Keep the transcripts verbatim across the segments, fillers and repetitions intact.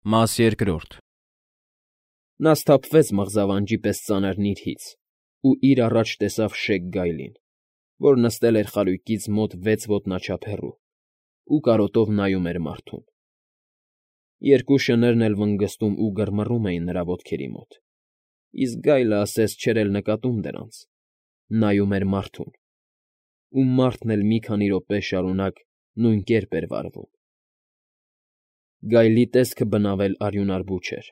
Մաս երկրորդ Նա սթափվեց մղզավանջի պես ծանր նիրհից ու իր առաջ տեսավ շեկ գայլին, որ նստել էր խարույկից մոտ վեց ոտնաչափ հեռու ու կարոտով նայում էր մարդուն. երկու շներն էլ վնգստում ու գրմռում էին նրա ոտքերի մոտ, իսկ գայլը ասես չէր էլ նկատում դրանց, նայում էր մարդուն, ու մարդն էլ մի քանի րոպե շարունակ նույն կերպ էր վարվում։ Գայլի տեսքը բնավել արյունարբու չէր,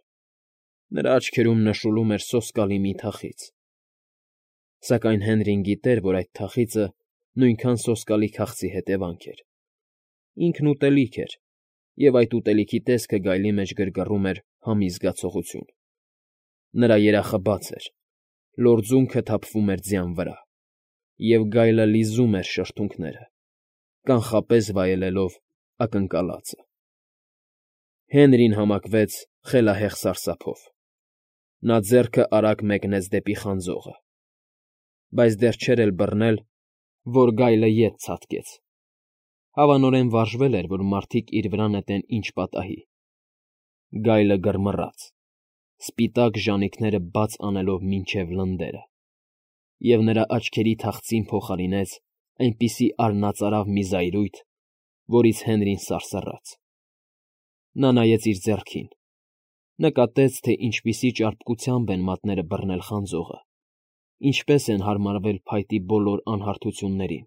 նրա աչքերում նշուլում էր սոսկալի մի թախիծ, սակայն Հենրին գիտեր, որ այդ թախիծը նույնքան սոսկալի քաղցի հետևանք էր, ինքն ուտելիք էր, և այդ ուտելիքի տեսքը գայլի մեջ գրգռում էր համի զգացողություն։ Նրա երախը բաց էր, լորձունքը թափվում էր ձյան վրա, և գայլը լիզում էր շրթունքները, կանխապես վայելելով ակնկալածը։ Հենրին համակվեց խելահեղ սարսափով։ Նա ձեռքը արագ մեկնեց դեպի խանձողը, բայց դեռ չէր էլ բռնել, որ գայլը ետ ցատկեց. հավանորեն վարժվել էր, որ մարդիկ իր վրա նետեն ինչ պատահի։ Գայլը գրմռաց, սպիտակ ժանիքները բաց անելով մինչև լնդերը, և նրա աչքերի թախծին փոխարինեց այնպիսի արնածարավ մի զայրույթ, որից Հենրին սարսռաց։ Նա նայեց իր ձեռքին, նկատեց, թե ինչպիսի ճարպկությամբ են մատները բռնել խանձողը, ինչպես են հարմարվել փայտի բոլոր անհարթություններին,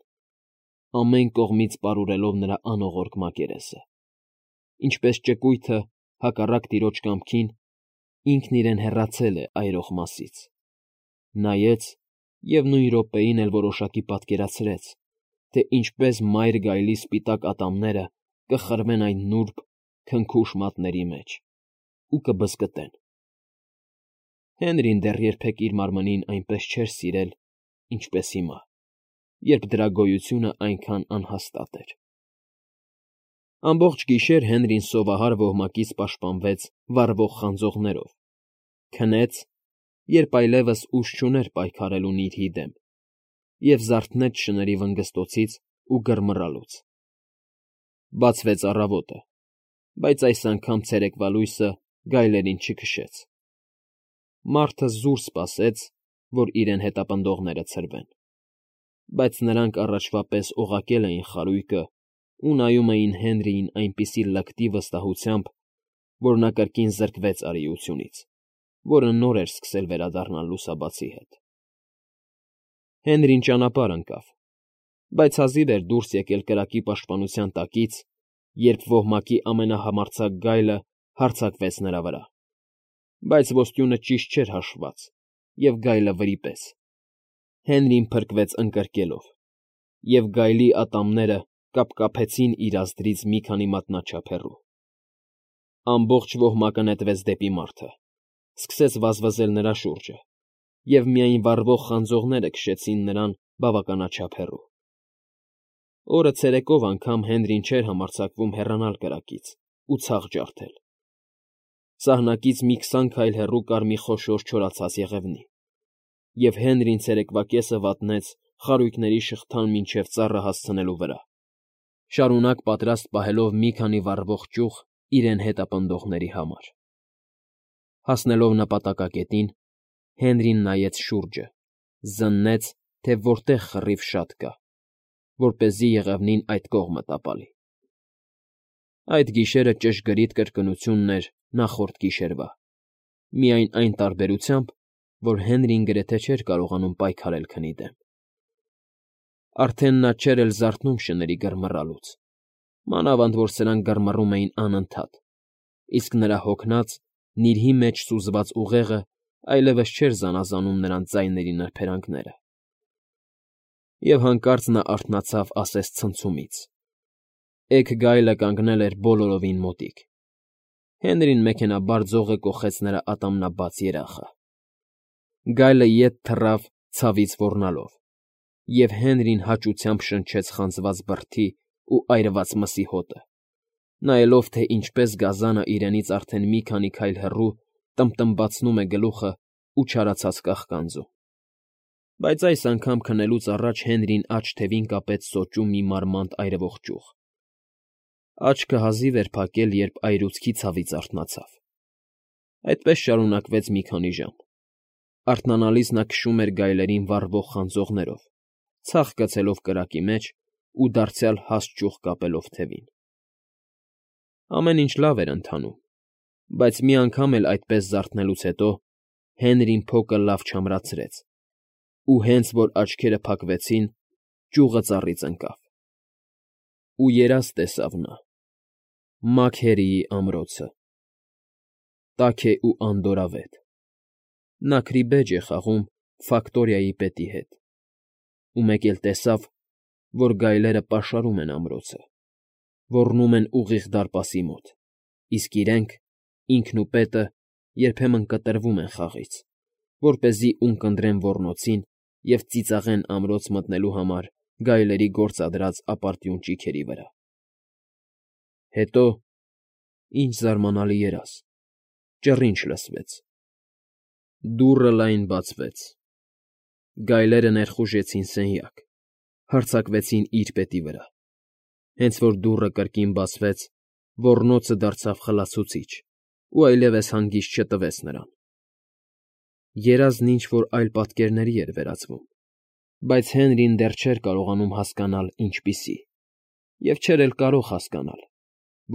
ամեն կողմից պարուրելով նրա անողորկ մակերեսը, ինչպես ճկույթը, հակառակ տիրոջ կամքին, ինքն իրեն հեռացել է այրող մասից։ Նայեց և նույն րոպեին էլ որոշակի պատկերացրեց, թե ինչպես մայր գայլի սպիտակ ատամները կխրվեն այն նուրբ, քնքուշ մատների մեջ ու կբզկտեն։ Հենրին դեռ երբեք իր մարմնին այնպես չէր սիրել, ինչպես հիմա, երբ դրա գոյությունն այնքան անհաստատ էր։ Ամբողջ գիշեր Հենրին սովահար ոհմակից պաշտպանվեց վառվող խանձողներով, քնեց, երբ այլևս ուժ չուներ պայքարելու նիրհի դեմ, և զարթնեց շների վնգստոցից ու գրմռալուց։ Բացվեց առավոտը, բայց այս անգամ ցերեկվա լույսը գայլերին չքշեց։ Մարդը զուր սպասեց, որ իրեն հետապնդողները ցրվեն, բայց նրանք առաջվա պես օղակել էին խարույկը ու նայում էին Հենրիին այնպիսի լկտի վստահությամբ, որ նա կրկին զրկվեց արիությունից, որը նոր էր սկսել վերադառնալ լուսաբացի հետ։ Հենրին ճանապարհ ընկավ, բայց հազիվ էր դուրս եկել կրակի պաշտպանության տակից, երբ ոհմակի ամենահամարձակ գայլը հարձակվեց նրա վրա, բայց ոսկյունը ճիշտ չէր հաշվված, և գայլը վրիպեց։ Հենրին փրկվեց ընկրկելով, և գայլի ատամները կապկապեցին իր ազդրից մի քանի մատնաչափ հեռու։ Ամբողջ ոհմակը նետվեց դեպի մարդը, սկսեց վազվզել նրա շուրջը, և միայն վառվող խանձողները քշեցին նրան բավականաչափ հեռու։ Օրը ցերեկով անգամ Հենրին չէր համարձակվում հեռանալ կրակից ու ցախ ջարդել։ Սահնակից մի քսան քայլ հեռու կար մի խոշոր չորացած եղևնի, և Հենրին ցերեկվա կեսը վատնեց խարույկների շղթան մինչև ծառը հասցնելու վրա, շարունակ պատրաստ պահելով մի քանի վառվող ճյուղ իրեն հետապնդողների համար։ Հասնելով նպատակակետին, Հենրին նայեց շուրջը, զննեց, թե որտեղ կռիվ շատ կա, որպեսզի եղևնին այդ կողմը տապալի։ Այդ գիշերը ճշգրիտ կրկնությունն էր նախորդ գիշերվա, միայն այն տարբերությամբ, որ Հենրին գրեթե չէր կարողանում պայքարել քնի դեմ։ Արդեն նա չէր էլ զարթնում շների գրմռալուց, մանավանդ որ սրանք գրմռում էին անընդհատ, իսկ նրա հոգնած, նիրհի մեջ սուզված ուղեղը այլևս չէր զանազանում նրանց ձայների նրբերանգները։ Եվ հանկարծ նա արթնացավ ասես ցնցումից։ Էգ գայլը կանգնել էր բոլորովին մոտիկ։ Հենրին մեքենայաբար ձողը կոխեց նրա ատամնաբաց երախը։ Գայլը ետ թռավ ցավից ոռնալով, և Հենրին հաճությամբ շնչեց խանձված բրդի ու այրված մսի հոտը, նայելով, թե ինչպես գազանը իրենից արդեն մի քանի քայլ հեռու տմբտմբացնում է գլուխը ու չարացած կաղկանձում։ Բայց այս անգամ քնելուց առաջ Հենրին աջ թևին կապեց սոճու մի մարմանդ այրվող ճյուղ։ Աչքը հազիվ էր փակել, երբ այրուցքի ցավից արթնացավ։ Այդպես շարունակվեց մի քանի ժամ։ Արթնանալիս նա քշում էր գայլերին վառվող խանձողներով, ցախ գցելով կրակի մեջ ու դարձյալ հաստ ճյուղ կապելով թևին։ Ամեն ինչ լավ էր ընթանում, բայց մի անգամ էլ այդպես զարթնելուց հետո Հենրին փոկը լավ չամրացրեց, ու հենց որ աչքերը փակվեցին, ճյուղը ծառից ընկավ։ Ու երազ տեսավ նա. Մաքերիի ամրոցը։ Տաք է ու անդորրավետ։ Նա քրիբեջ է խաղում Ֆակտորիայի պետի հետ, ու մեկ էլ տեսավ, որ գայլերը պաշարում են ամրոցը, ոռնում են ուղիղ դարպասի մոտ, իսկ իրենք, ինքն ու պետը, երբեմն կտրվում են խաղից, որպեսզի ունկնդրեն ոռնոցին և ծիծաղեն ամրոց մտնելու համար գայլերի գործադրած ապարդյուն ճիգերի վրա։ Հետո, ինչ զարմանալի երազ, ճռինչ լսվեց։ Դուռը լայն բացվեց։ Գայլերը ներխուժեցին սենյակ, հարձակվեցին իր պետի վրա։ Հենց որ դուռը կրկին բացվեց, ոռնոցը դարձավ խլացուցիչ ու այլևս հանգիստ չտվեց նրան։ Երազն ինչ֊որ այլ պատկերների էր վերածվում, բայց Հենրին դեռ չէր կարողանում հասկանալ ինչպիսի, և չէր էլ կարող հասկանալ,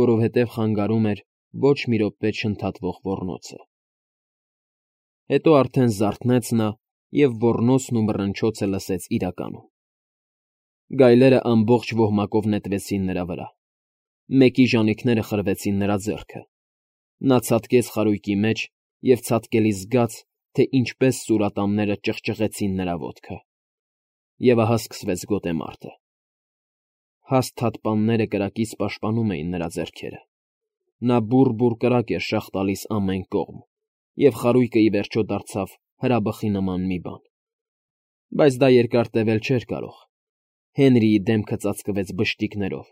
որովհետև խանգարում էր ոչ մի րոպե չընդհատվող ոռնոցը։ Հետո արդեն զարթնեց նա և ոռնոցն ու մռնչոցը լսեց իրականում։ Գայլերը ամբողջ ոհմակով նետվեցին նրա վրա։ Մեկի ժանիքները խրվեցին նրա ձեռքը։ Նա ցատկեց խարույկի մեջ և ցատկելիս զգաց, թե ինչպես սուրատամները ճղճղեցին նրա ոտքը։ Եվ ահա սկսվեց գոտեմարտը։ Հաստ թաթպանները կրակից պաշտպանում էին նրա ձեռքերը։ Նա բուռ֊բուռ կրակ էր շաղ տալիս ամեն կողմ, և խարույկը ի վերջո դարձավ հրաբխի նման մի բան։ Բայց դա երկար տևել չէր կարող։ Հենրիի դեմքը ծածկվեց բշտիկներով,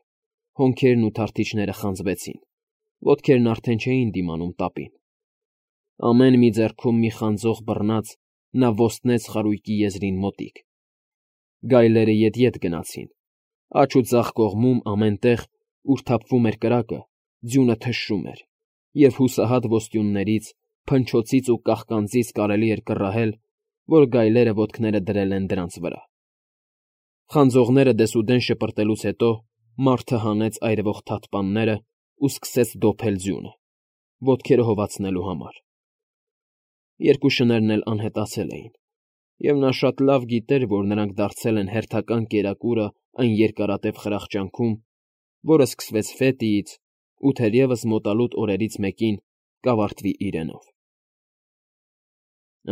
հոնքերն ու թարթիչները խանձվեցին, ոտքերն արդեն չէին դիմանում տապին։ Ամեն մի ձեռքում մի խանձող բռնած՝ նա ոստնեց խարույկի եզրին մոտիկ։ Գայլերը ետ֊ետ գնացին։ Աջ ու ձախ կողմում ամեն տեղ, ուր թափվում էր կրակը, ձյունը թշշում էր, և հուսահատ ոստյուններից, փնչոցից ու կաղկանձից կարելի էր կռահել, որ գայլերը ոտքները դրել են դրանց վրա։ Խանձողները դեսուդեն շպրտելուց հետո մարդը հանեց այրվող թաթպաններն ու սկսեց դոփել ձյունը, ոտքերը հովացնելու համար։ Երկու շներն էլ անհետացել էին, և նա շատ լավ գիտեր, որ նրանք դարձել են հերթական կերակուրը այն երկարատև խրախճանքում, որը սկսվեց Ֆետիից ու թերևս մոտալուտ օրերից մեկին կավարտվի իրենով։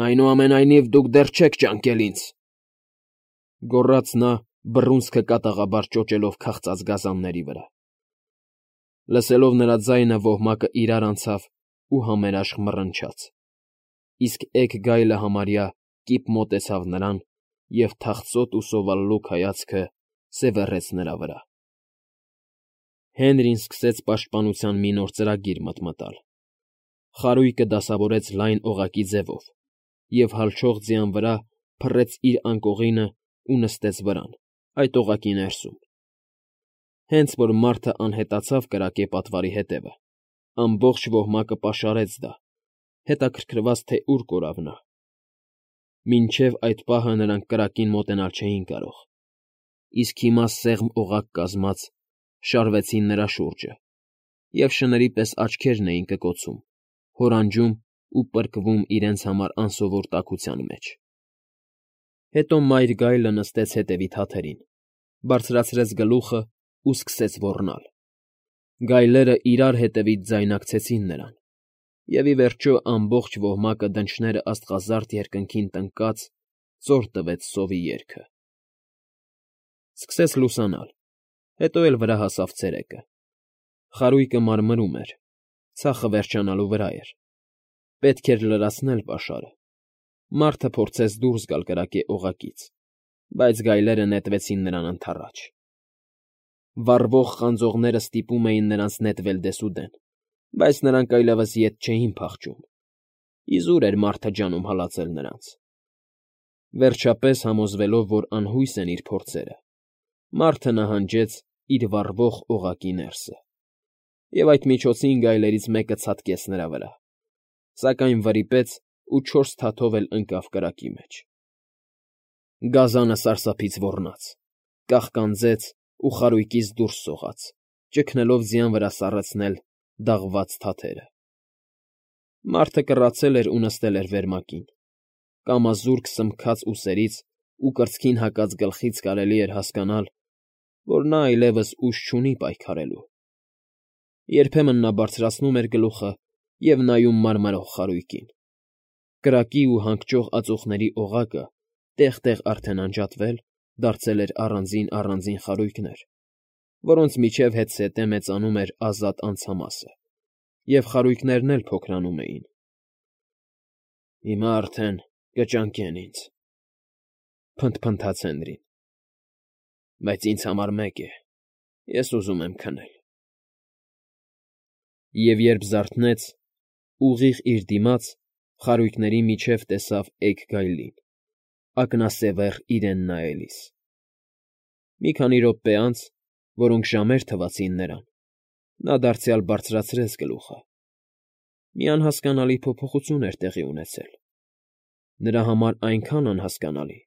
Այնուամենայնիվ դուք դեռ չեք ճանկել ինձ,֊ գոռաց նա, բռունցքը կատաղաբար ճոճելով քաղցած գազանների վրա։ Լսելով նրա ձայնը ոհմակը իրար անցավ ու համերաշխ մռնչաց, իսկ էգ գայլը համարյա կիպ մոտեցավ նրան և թախծոտ ու սովալլուկ հայացքը սևեռեց նրա վրա։ Հենրին սկսեց պաշտպանության մի նոր ծրագիր մտմտալ։ Խարույկը դասավորեց լայն օղակի ձևով և հալչող ձյան վրա փռեց իր անկողինն ու նստեց վրան, այդ օղակի ներսում։ Հենց որ մարդը անհետացավ կրակե պատվարի հետևը, ամբողջ ոհմակը պաշարեց դա, հետաքրքրված, թե ուր կորավ նա։ Մինչև այդ պահը նրանք կրակին մոտենալ չէին կարող, իսկ հիմա սեղմ օղակ կազմած շարվեցին նրա շուրջը, և շների պես աչքերն էին կկոցում, հորանջում ու պրկվում իրենց համար անսովոր տաքության մեջ։ Հետո մայր գայլը նստեց հետևի թաթերին, բարձրացրեց գլուխն ու սկսեց ոռնալ։ Գայլերը իրար հետևից ձայնակցեցին նրան, և ի վերջո ամբողջ ոհմակը դնչները աստղազարդ երկնքին տնկած ծոր տվեց սովի երգը։ Սկսեց լուսանալ, հետո էլ վրա հասավ ցերեկը։ Խարույկը մարմրում էր, ցախը վերջանալու վրա էր։ Պետք էր լրացնել պաշարը։ Մարդը փորձեց դուրս գալ կրակե օղակից, բայց գայլերը նետվեցին նրան ընդառաջ։ Վառվող խանձողները ստիպում էին նրանց նետվել դեսուդեն, բայց նրանք այլևս ետ չէին փախչում։ Իզուր էր մարդը ջանում հալածել նրանց։ Վերջապես, համոզվելով, որ անհույս են իր փորձերը, մարդը նահանջեց իր վառվող օղակի ներսը։ և այդ միջոցին գայլերից մեկը ցատկեց նրա վրա, սակայն վրիպեց ու չորս թաթով էլ ընկավ կրակի մեջ։ Գազանը սարսափից ոռնաց, կաղկանձեց ու խարույկից դուրս սողաց, ճգնելով ձյան վրա սառեցնել դաղված թաթերը։ Մարդը կռացել էր ու նստել էր վերմակին, կամազուրկ սմքած ուսերից ու կրծքին հակած գլխից կարելի էր հասկանալ, որ նա այլևս ուժ չունի պայքարելու։ Երբեմն նա բարձրացնում էր գլուխը և նայում մարմարող խարույկին։ Կրակի ու հանգճող ածուխների օղակը տեղ֊տեղ արդեն անջատվել, դարձել էր առանձին֊առանձին խարույկներ, որոնց միջև հետզհետե մեծանում էր ազատ անցամասը, և խարույկներն էլ փոքրանում էին։ «Հիմա արդեն կճանկեն ինձ,֊ փնթփնթաց Հենրին,֊ բայց ինձ համար մեկ է. ես ուզում եմ քնել»։ Եվ երբ զարթնեց, ուղիղ իր դիմաց, խարույկների միջև տեսավ էգ գայլին, ակնասևեռ իրեն նայելիս։ Մի քանի րոպե անց, որոնք ժամեր թվացին նրան, նա դարձյալ բարձրացրեց գլուխը։ Մի անհասկանալի փոփոխություն էր տեղի ունեցել, նրա համար այնքան անհասկանալի,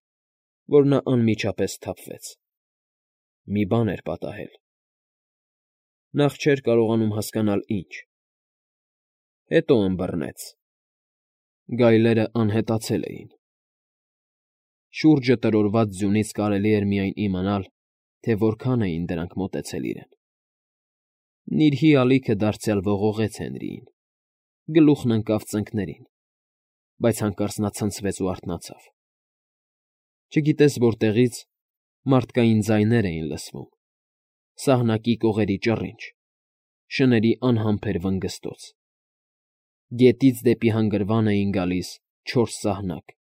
որ նա անմիջապես սթափվեց։ Մի բան էր պատահել։ Նախ չէր կարողանում հասկանալ՝ ինչ։ Հետո ըմբռնեց. գայլերը անհետացել էին։ Շուրջը տրորված ձյունից կարելի էր միայն իմանալ, թե որքան էին դրանք մոտեցել իրեն։ Նիրհի ալիքը դարձյալ ողողեց Հենրիին, գլուխն ընկավ ծնկներին, բայց հանկարծ նա ցնցվեց ու արթնացավ։ Չգիտես որտեղից, մարդկային ձայներ էին լսվում, սահնակի կողերի ճռինչ, շների անհամբեր վնգստոց։ Գետից դեպի հանգրվան էին գալիս չորս սահնակ։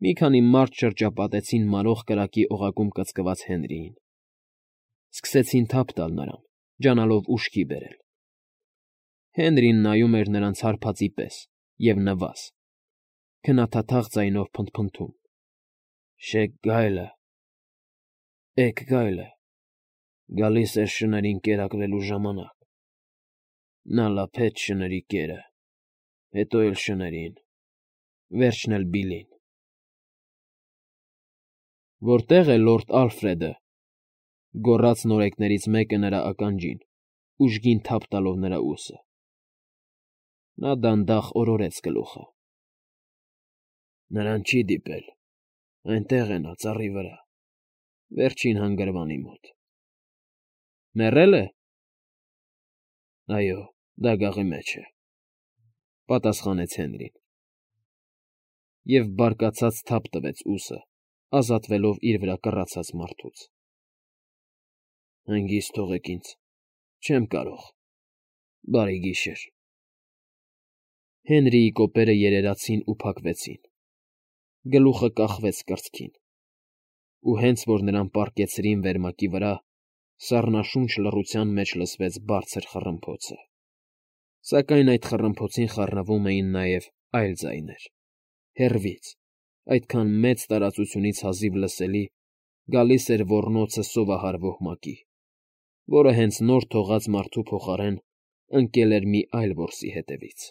Մի քանի մարդ շրջապատեցին մարող կրակի օղակում կծկված Հենրիին։ Սկսեցին թափ տալ նրան, ջանալով ուշքի բերել։ Հենրին նայում էր նրանց հարբածի պես և նվազ, քնաթաթախ ձայնով փնթփնթում. «Շեգ գայլը, էգ գայլը, գալիս էր շներին կերակրելու ժամանակ։ Նա լափեց շների կերը, հետո էլ շներին, վերջն էլ Բիլլին»։ «Որտե՞ղ է լորդ Ալֆրեդը,֊ գոռաց նորեկներից մեկը նրա ականջին, ուժգին թափ տալով նրա ուսը։ Նա դանդաղ օրորեց գլուխը։ «Նրան չի դիպել, այնտեղ է նա, ծառի վրա, վերջին հանգրվանի մոտ»։ «Մեռե՞լ է»։ «Այո, դագաղի մեջ է,֊ պատասխանեց Հենրին, և բարկացած թափ տվեց ուսը, ազատվելով իր վրա կռացած մարդուց։ «Հանգիստ թողեք ինձ, չեմ կարող, բարի գիշեր»։ Հենրիի կոպերը երերացին ու փակվեցին, գլուխը կախվեց կրծքին, ու հենց որ նրան պառկեցրին վերմակի վրա, սառնաշունչ լռության մեջ լսվեց բարձր խռմփոցը։ Սակայն այդ խռմփոցին խառնվում էին նաև այլ ձայներ, հեռվից, այդքան մեծ տարածությունից հազիվ լսելի, գալիս էր ոռնոցը սովահար ոհմակի, որը հենց նոր թողած մարդու փոխարեն ընկել էր մի այլ որսի հետևից։